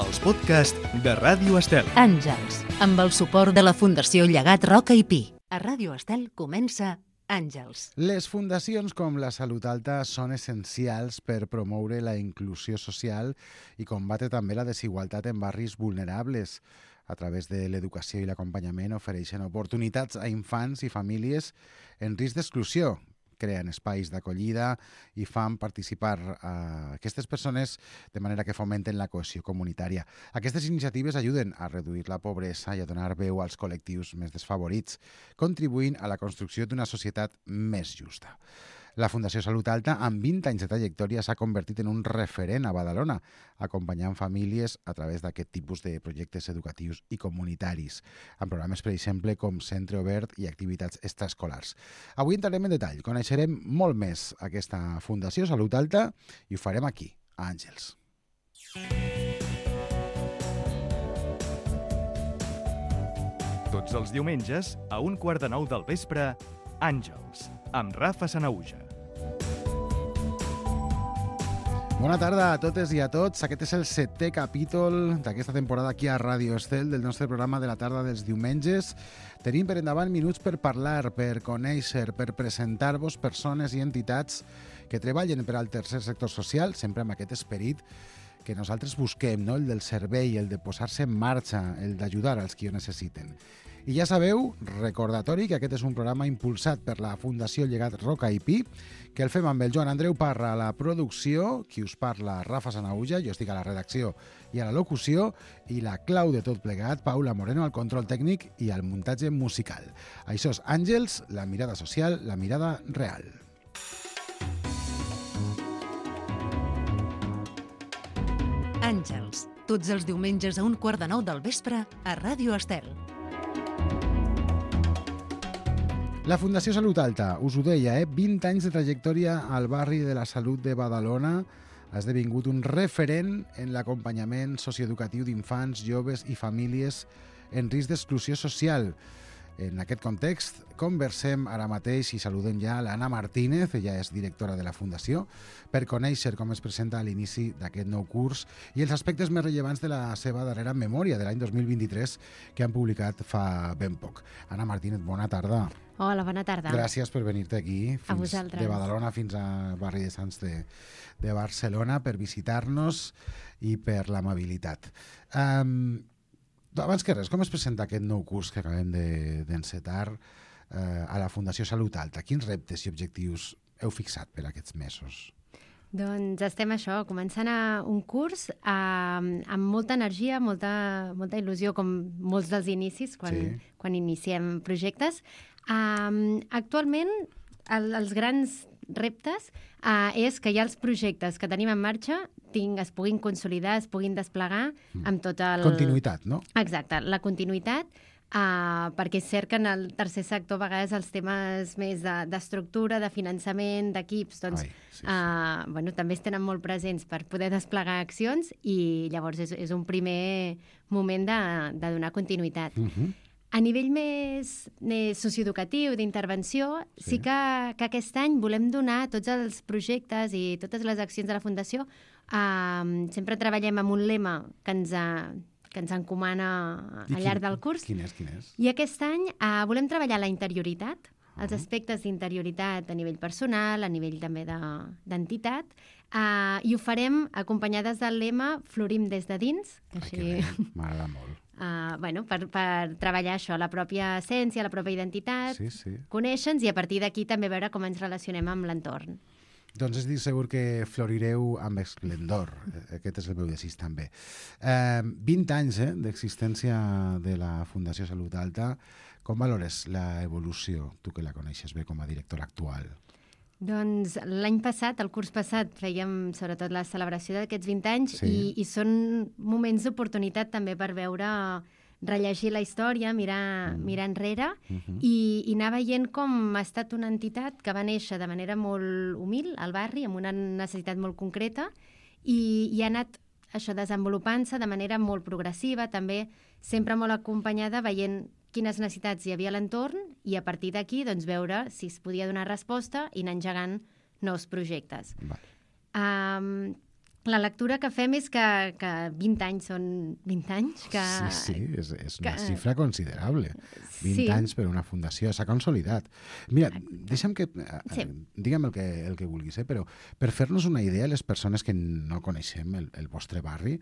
els podcasts de Ràdio Estel. Àngels, amb el suport de la Fundació Llegat Roca i Pi. A Ràdio Estel comença Àngels. Les fundacions com la Salut Alta són essencials per promoure la inclusió social i combatre també la desigualtat en barris vulnerables. A través de l'educació i l'acompanyament ofereixen oportunitats a infants i famílies en risc d'exclusió. Creen espais d'acollida i fan participar aquestes persones de manera que fomenten la cohesió comunitària. Aquestes iniciatives ajuden a reduir la pobresa i a donar veu als col·lectius més desfavorits, contribuint a la construcció d'una societat més justa. La Fundació Salut Alta, amb 20 anys de trajectòria, s'ha convertit en un referent a Badalona, acompanyant famílies a través d'aquest tipus de projectes educatius i comunitaris, amb programes, per exemple, com Centre Obert i activitats extraescolars. Avui entrarem en detall, coneixerem molt més aquesta Fundació Salut Alta i ho farem aquí, a Àngels. Tots els diumenges, a 8:45 del vespre, Àngels, amb Rafa Sanahuja. Bona tarda a totes i a tots. Aquest és el 7è capítol d'aquesta temporada aquí a Ràdio Estel, del nostre programa de la tarda dels diumenges. Tenim per endavant minuts per parlar, per conèixer, per presentar-vos persones i entitats que treballen per al tercer sector social, sempre amb aquest esperit que nosaltres busquem, no? El del servei, el de posar-se en marxa, el d'ajudar als qui ho necessiten. I ja sabeu, recordatori, que aquest és un programa impulsat per la Fundació Llegat Roca i Pi, que el fem amb el Joan Andreu Parra a la producció, qui us parla Rafa Sanahuja, jo estic a la redacció i a la locució, i la clau de tot plegat, Paula Moreno, al control tècnic i al muntatge musical. Això és Àngels, la mirada social, la mirada real. Àngels, tots els diumenges a 8:45 del vespre a Ràdio Estel. La Fundació Salut Alta, us ho deia, 20 anys de trajectòria al barri de la Salut de Badalona, ha esdevingut un referent en l'acompanyament socioeducatiu d'infants, joves i famílies en risc d'exclusió social. En aquest context, conversem ara mateix i saludem ja l'Anna Martínez, ella és directora de la Fundació, per conèixer com es presenta a l'inici d'aquest nou curs i els aspectes més rellevants de la seva darrera memòria de l'any 2023 que han publicat fa ben poc. Anna Martínez, bona tarda. Hola, bona tarda. Gràcies per venir-te aquí, A vosaltres. de Badalona fins al barri de Sants de Barcelona, per visitar-nos i per l'amabilitat. Abans que res, com es presenta aquest nou curs que acabem d'encetar a la Fundació Salut Alta? Quins reptes i objectius heu fixat per aquests mesos? Doncs estem començant un curs amb molta energia, molta il·lusió, com molts dels inicis, quan iniciem projectes. Actualment, els grans reptes és que ja els projectes que tenim en marxa es puguin consolidar, es puguin desplegar amb tot el... Continuïtat, no? Exacte, la continuïtat, perquè és cert que en el tercer sector a vegades els temes més d'estructura, de finançament, d'equips, doncs també es tenen molt presents per poder desplegar accions i llavors és un primer moment de donar continuïtat. A nivell més socioeducatiu, d'intervenció, sí que aquest any volem donar tots els projectes i totes les accions de la Fundació. Sempre treballem amb un lema que ens encomana al llarg del curs. Quin és? I aquest any volem treballar la interioritat, els aspectes d'interioritat a nivell personal, a nivell també d'entitat, i ho farem acompanyades del lema Florim des de dins. M'agrada molt. Per treballar això, la pròpia essència, la pròpia identitat, conèixer-nos i a partir d'aquí també veure com ens relacionem amb l'entorn. Doncs estic segur que florireu amb esplendor. Aquest és el meu desig també. 20 anys d'existència de la Fundació Salut Alta. Com valores l'evolució, tu que la coneixes bé com a directora actual? Doncs l'any passat, el curs passat, fèiem sobretot la celebració d'aquests 20 anys i són moments d'oportunitat també per veure, rellegir la història, mirar enrere i anar veient com ha estat una entitat que va néixer de manera molt humil al barri, amb una necessitat molt concreta i ha anat desenvolupant-se de manera molt progressiva, també sempre molt acompanyada, veient quines necessitats hi havia a l'entorn i a partir d'aquí veure si es podia donar resposta i anar engegant nous projectes. la lectura que fem és que 20 anys són 20 anys. Sí, és una xifra considerable. 20 anys per una fundació, s'ha consolidat. Mira, deixa'm que... Digue'm el que vulguis, però per fer-nos una idea, les persones que no coneixem el vostre barri,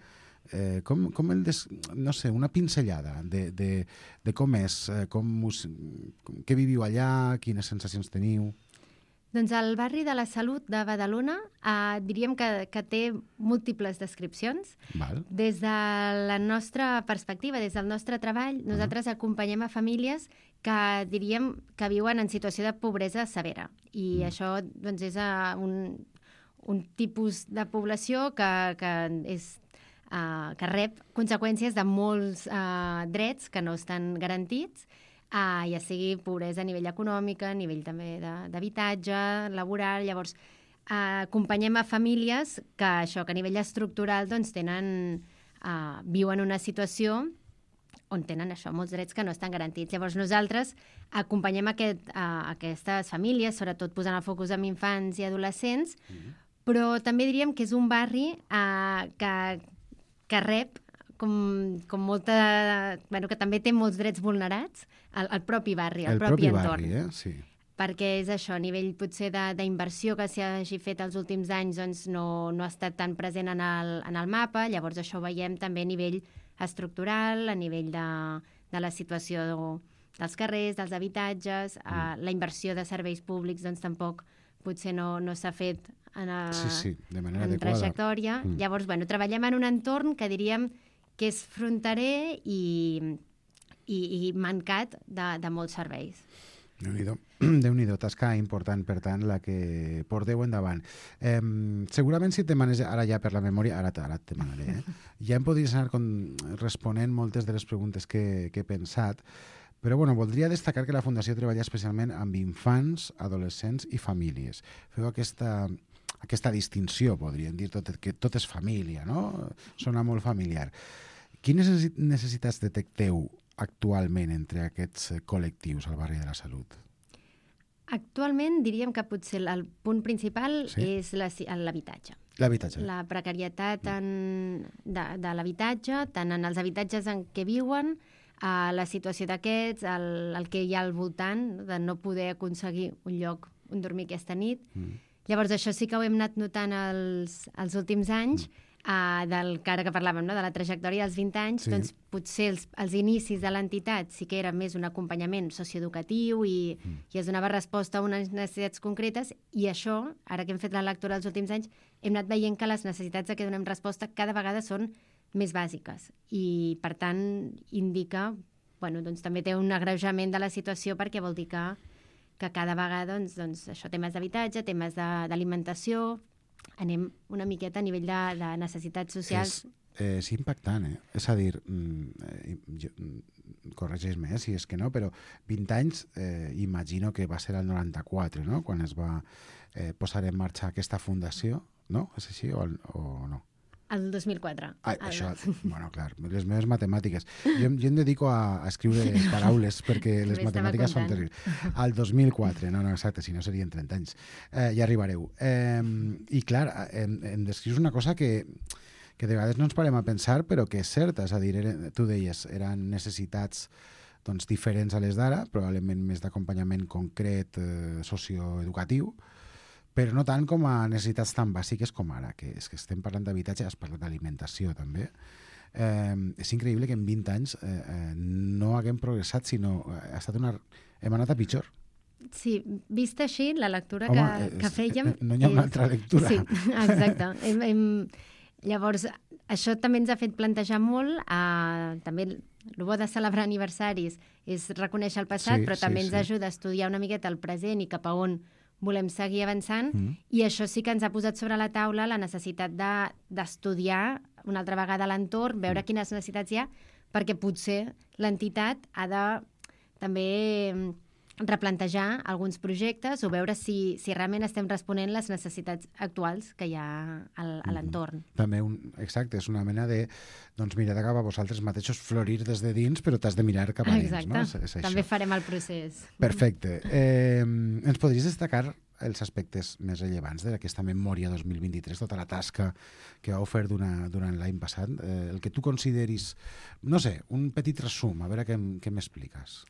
no sé, una pinzellada de com és, què viviu allà, quines sensacions teniu... Doncs el barri de la Salut de Badalona diríem que té múltiples descripcions. Val. Des de la nostra perspectiva, des del nostre treball, nosaltres acompanyem a famílies que diríem que viuen en situació de pobresa severa. I això doncs, és un tipus de població que rep conseqüències de molts drets que no estan garantits, ja sigui pobresa a nivell econòmic, a nivell també d'habitatge, laboral. Llavors, acompanyem a famílies que a nivell estructural doncs, viuen una situació on tenen molts drets que no estan garantits. Llavors, nosaltres acompanyem aquestes famílies, sobretot posant el focus en infants i adolescents, però també diríem que és un barri que rep com molta... que també té molts drets vulnerats, el propi barri, el propi entorn. Sí. Perquè és això, a nivell potser d'inversió que s'hagi fet els últims anys doncs no ha estat tan present en el mapa, llavors això ho veiem també a nivell estructural, a nivell de la situació dels carrers, dels habitatges, la inversió de serveis públics doncs tampoc potser no s'ha fet de manera adequada. Trajectòria. Llavors, treballem en un entorn que diríem que és fronterer i mancat de molts serveis. Déu-n'hi-do, tasca important, per tant, la que porteu endavant. Segurament si et demanes, ara ja per la memòria, ara et demanaré, ja em podries anar responent moltes de les preguntes que he pensat, però voldria destacar que la Fundació treballa especialment amb infants, adolescents i famílies. Feu aquesta distinció, podríem dir, que tot és família, no? Sona molt familiar. Quines necessitats detecteu actualment entre aquests col·lectius al barri de la Salut? Actualment diríem que potser el punt principal és l'habitatge. L'habitatge. La precarietat de l'habitatge, tant en els habitatges en què viuen, la situació d'aquests, el que hi ha al voltant, de no poder aconseguir un lloc on dormir aquesta nit. Llavors, això sí que ho hem anat notant els últims anys, que ara que parlàvem, de la trajectòria dels 20 anys, doncs potser els inicis de l'entitat sí que era més un acompanyament socioeducatiu i es donava resposta a unes necessitats concretes, i això, ara que hem fet la lectura els últims anys, hem anat veient que les necessitats a què donem resposta cada vegada són més bàsiques i, per tant, indica, doncs també té un agreujament de la situació, perquè vol dir que cada vegada, doncs això, temes d'habitatge, temes d'alimentació, anem una miqueta a nivell de necessitats socials. És impactant, És a dir, corregeix-me si és que no, però 20 anys, imagino que va ser el 94, no?, quan es va posar en marxa aquesta fundació, no? És així o no? El 2004. Això, clar, les meves matemàtiques. Jo em dedico a escriure paraules perquè les matemàtiques són terribles. Al 2004, no, exacte, si no serien 30 anys. Ja arribareu. I clar, em descrius una cosa que de vegades no ens parem a pensar, però que és certa. És a dir, tu deies, eren necessitats diferents a les d'ara, probablement més d'acompanyament concret socioeducatiu, però no tant com a necessitats tan bàsiques com ara, que és que estem parlant d'habitatge, has parlat d'alimentació també. És increïble que en 20 anys no haguem progressat, sinó hem anat a pitjor. Sí, vista així, la lectura que fèiem... No hi ha una altra lectura. Sí, exacte. Llavors, això també ens ha fet plantejar molt, també el bo de celebrar aniversaris és reconèixer el passat, però també ens ajuda a estudiar una miqueta el present i cap a on volem seguir avançant, i això sí que ens ha posat sobre la taula la necessitat d'estudiar una altra vegada l'entorn, veure quines necessitats hi ha, perquè potser l'entitat ha de també replantejar alguns projectes o veure si realment estem responent les necessitats actuals que hi ha a l'entorn. També, exacte, és una mena de, doncs mirar cap a vosaltres mateixos, florir des de dins, però t'has de mirar cap a dins. Exacte, també farem el procés. Perfecte. Ens podries destacar els aspectes més rellevants d'aquesta memòria 2023, tota la tasca que vau fer durant l'any passat? El que tu consideris, no sé, un petit resum, a veure què m'expliques.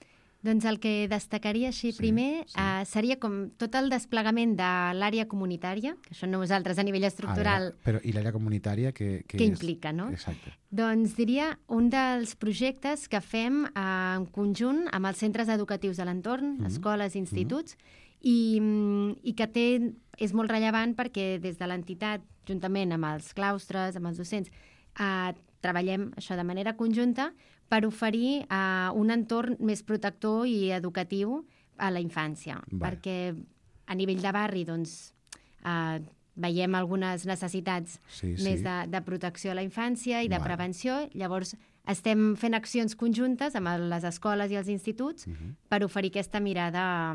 Doncs el que destacaria així primer seria com tot el desplegament de l'àrea comunitària, que això nosaltres a nivell estructural... Però i l'àrea comunitària que implica, no? Exacte. Doncs diria un dels projectes que fem en conjunt amb els centres educatius de l'entorn, escoles, instituts, i que és molt rellevant perquè des de l'entitat, juntament amb els claustres, amb els docents, treballem això de manera conjunta per oferir un entorn més protector i educatiu a la infància. Perquè a nivell de barri doncs, veiem algunes necessitats més de protecció a la infància i de prevenció. Llavors estem fent accions conjuntes amb les escoles i els instituts per oferir aquesta mirada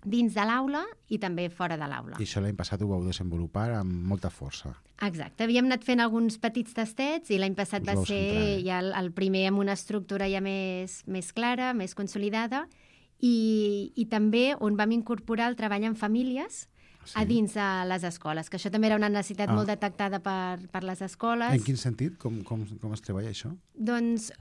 dins de l'aula i també fora de l'aula. I això l'any passat ho vau desenvolupar amb molta força. Exacte. Havíem anat fent alguns petits tastets i l'any passat va ser ja el primer amb una estructura ja més clara, més consolidada, i també on vam incorporar el treball en famílies a dins de les escoles, que això també era una necessitat molt detectada per les escoles. En quin sentit? Com es treballa això? Doncs,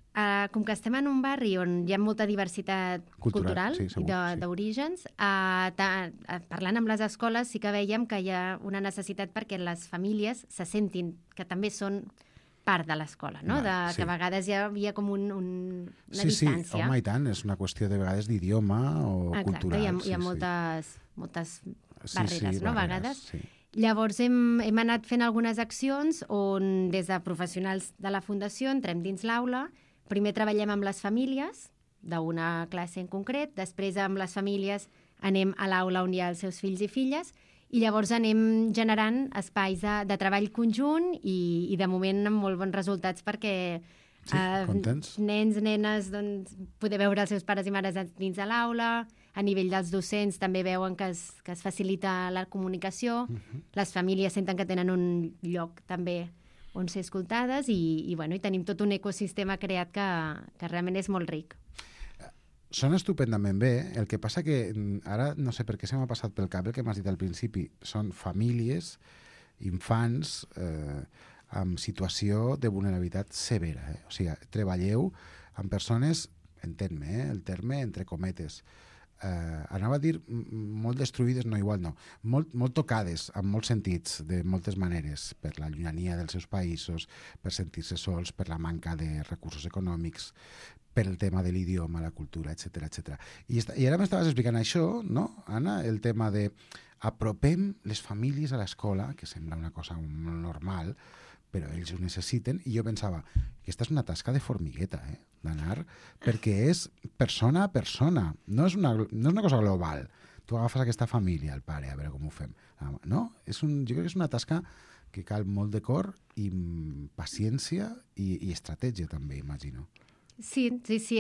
com que estem en un barri on hi ha molta diversitat cultural i d'orígens, parlant amb les escoles sí que veiem que hi ha una necessitat perquè les famílies se sentin que també són part de l'escola, no? Que a vegades hi havia com una distància. Sí, home, i tant, és una qüestió de vegades d'idioma o cultural. Exacte, hi ha moltes barreres, no? A vegades. Llavors hem anat fent algunes accions on des de professionals de la Fundació entrem dins l'aula, primer treballem amb les famílies d'una classe en concret, després amb les famílies anem a l'aula on hi ha els seus fills i filles, i llavors anem generant espais de treball conjunt i de moment amb molt bons resultats perquè nens, nenes, doncs, poder veure els seus pares i mares dins de l'aula, a nivell dels docents també veuen que es facilita la comunicació, les famílies senten que tenen un lloc també on ser escoltades i tenim tot un ecosistema creat que realment és molt ric. Sona estupendament bé, el que passa que ara no sé per què se m'ha passat pel cap el que m'has dit al principi, són famílies, infants amb situació de vulnerabilitat severa. O sigui, treballeu amb persones, entén-me, el terme entre cometes, anava a dir molt destruïdes, no, igual no, molt tocades en molts sentits, de moltes maneres, per la llunyania dels seus països, per sentir-se sols, per la manca de recursos econòmics, per el tema de l'idioma, la cultura, etc. I ara m'estaves explicant això, no, Anna? El tema de apropem les famílies a l'escola, que sembla una cosa molt normal, però ells ho necessiten, i jo pensava, aquesta és una tasca de formigueta, d'anar, perquè és persona a persona, no és una cosa global. Tu agafes aquesta família, el pare, a veure com ho fem. No? Jo crec que és una tasca que cal molt de cor i paciència i estratègia també, imagino. Sí,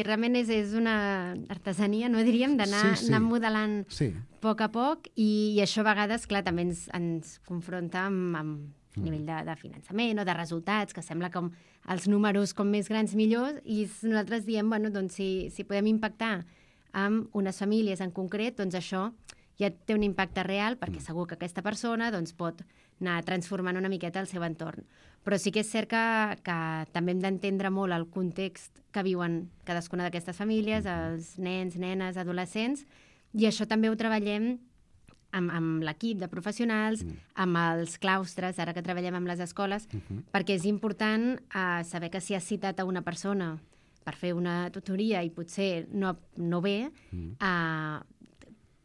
realment és una artesania, no diríem, d'anar modelant a poc a poc i això a vegades, clar, també ens confronta amb nivell de finançament o de resultats, que sembla com els números com més grans millors, i nosaltres diem, bueno, doncs si podem impactar amb unes famílies en concret, doncs això ja té un impacte real, perquè segur que aquesta persona doncs, pot anar transformant una miqueta el seu entorn. Però sí que és cert que també hem d'entendre molt el context que viuen cadascuna d'aquestes famílies, els nens, nenes, adolescents, i això també ho treballem amb l'equip de professionals, amb els claustres, ara que treballem amb les escoles, perquè és important saber que si has citat a una persona per fer una tutoria i potser no ve,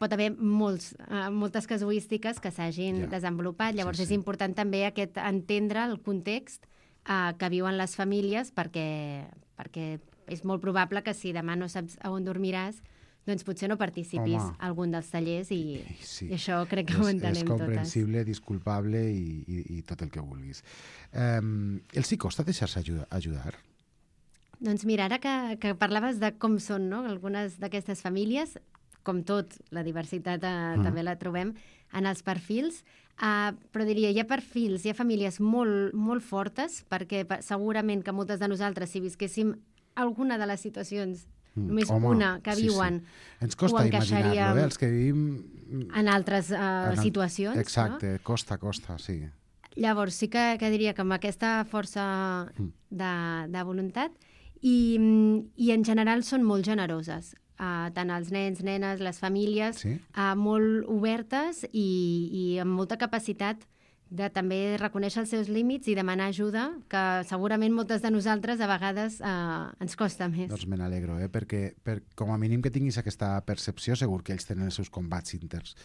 pot haver moltes casuístiques que s'hagin desenvolupat. Llavors és important també entendre el context que viuen les famílies perquè és molt probable que si demà no saps a on dormiràs, doncs potser no participis a algun dels tallers i això crec que ho entenem totes. És comprensible, disculpable i tot el que vulguis. Els hi costa deixar-se ajudar? Doncs mira, ara que parlaves de com són, no?, algunes d'aquestes famílies, com tot, la diversitat també la trobem en els perfils, però diria, hi ha perfils, hi ha famílies molt, molt fortes, perquè segurament que moltes de nosaltres, si visquéssim alguna de les situacions només una que viuen, ens costa imaginar-lo, els que vivim en altres situacions. Exacte, costa, sí. Llavors sí que diria que amb aquesta força de voluntat i en general són molt generoses. Tant els nens, nenes, les famílies, molt obertes i amb molta capacitat de també reconèixer els seus límits i demanar ajuda, que segurament moltes de nosaltres a vegades ens costa més. Doncs me n'alegro, perquè com a mínim que tinguis aquesta percepció, segur que ells tenen els seus combats interns,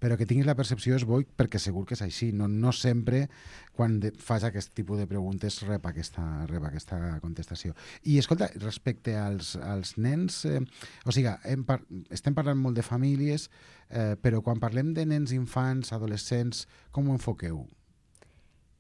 però que tinguis la percepció és bo perquè segur que és així. No sempre quan fas aquest tipus de preguntes rep aquesta contestació. I escolta, respecte als nens, o sigui, estem parlant molt de famílies, però quan parlem de nens, infants, adolescents, com ho enfoqueu?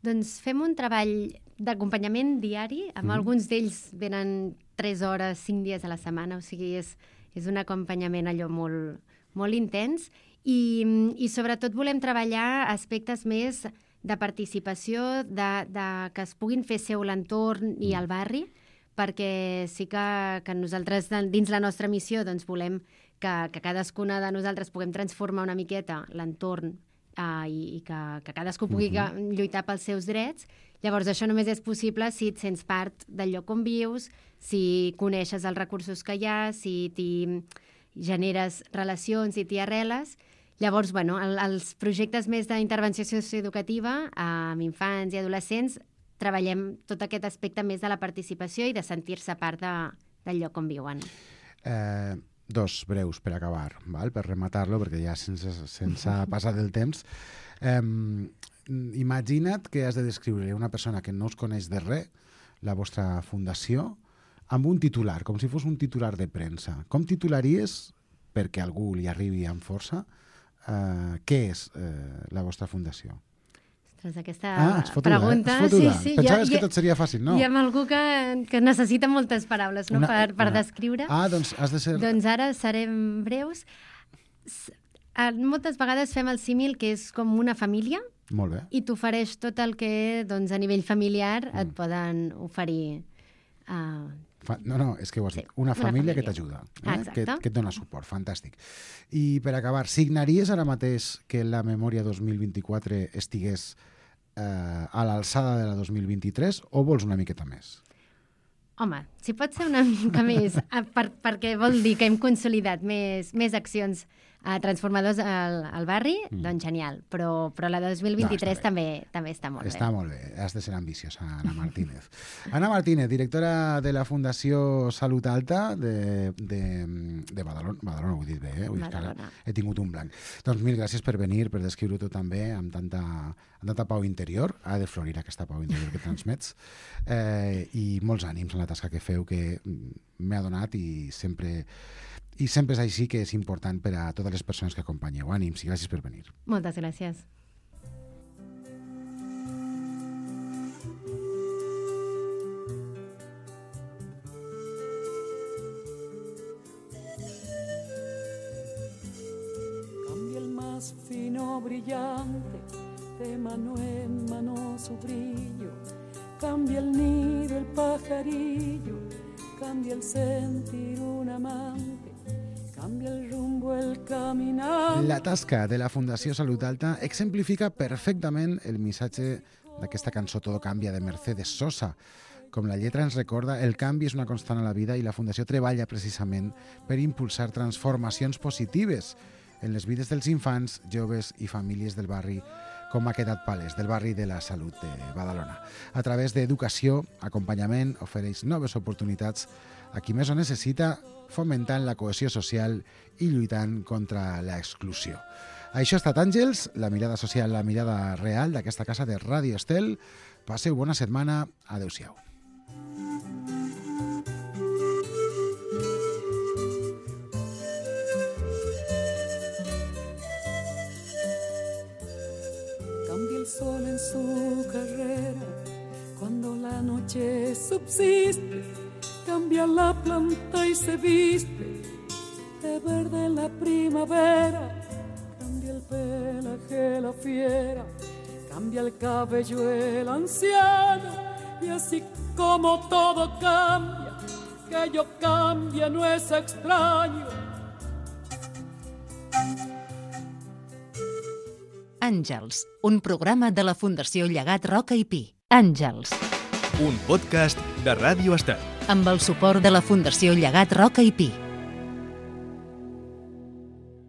Doncs fem un treball d'acompanyament diari, amb alguns d'ells venen 3 hores, 5 dies a la setmana, o sigui, és un acompanyament allò molt, molt intens i sobretot volem treballar aspectes més de participació, de que es puguin fer seu l'entorn i el barri, perquè sí que nosaltres dins la nostra missió doncs, volem que cadascuna de nosaltres puguem transformar una miqueta l'entorn i que cadascú pugui lluitar pels seus drets. Llavors, això només és possible si et sents part del lloc on vius, si coneixes els recursos que hi ha, si t'hi generes relacions i t'hi arreles. Llavors, els projectes més d'intervenció socioeducativa amb infants i adolescents treballem tot aquest aspecte més de la participació i de sentir-se part del lloc on viuen. 2 breus per acabar, per rematar-lo, perquè ja sense passar del temps. Imagina't que has de descriure una persona que no us coneix de res, la vostra fundació, amb un titular, com si fos un titular de premsa. Com titularies, perquè algú li arribi amb força, què és la vostra fundació? Aquesta pregunta... Sí, pensaves que tot seria fàcil, no? Hi ha algú que necessita moltes paraules per descriure. Doncs has de ser... Doncs ara serem breus. Moltes vegades fem el símil que és com una família. Molt bé. I t'ofereix tot el que a nivell familiar et poden oferir. No, és que ho has dit. Una família que t'ajuda, que et dona suport. Fantàstic. I per acabar, signaries ara mateix que la memòria 2024 estigués a l'alçada de la 2023 o vols una miqueta més? Home, si pot ser una mica més, perquè vol dir que hem consolidat més accions transformadors al barri, doncs genial. Però la 2023 també està molt bé. Està molt bé, has de ser ambiciosa, Anna Martínez. Anna Martínez, directora de la Fundació Salut Alta de Badalona, ho he dit bé, he tingut un blanc. Doncs mil gràcies per venir, per descriure-ho també amb tanta pau interior. Ha de florir aquesta pau interior que transmets. I molts ànims en la tasca que feu, que m'he adonat i sempre és així, que és important per a totes les persones que acompanyeu. Ànims i gràcies per venir. Moltes gràcies. Cambia el más fino brillante de mano en mano su brillo, cambia el nido el pajarillo, cambia el sentir un amante, cambia el rumbo el caminar. La tasca de la Fundació Salut Alta exemplifica perfectament el missatge d'aquesta cançó Todo cambia de Mercedes Sosa. Com la lletra ens recorda, el canvi és una constant a la vida i la Fundació treballa precisament per impulsar transformacions positives en les vides dels infants, joves i famílies del barri, com ha quedat palès, del barri de la Salut de Badalona. A través d'educació, acompanyament, ofereix noves oportunitats a qui més ho necessita, fomentant la cohesió social i lluitant contra l'exclusió. Això ha estat Àngels, la mirada social, la mirada real d'aquesta casa de Ràdio Estel. Passeu bona setmana. Adéu-siau. Cambia el sol en su carrera cuando la noche subsiste, cambia la planta y se viste de verde la primavera, cambia el pelaje la fiera, cambia el cabello el anciano, y así como todo cambia, que yo cambie no es extraño. Àngels, un programa de la Fundació Llegat Roca i Pi. Àngels. Un podcast de Ràdio Estel. Amb el suport de la Fundació Llegat Roca i Pi.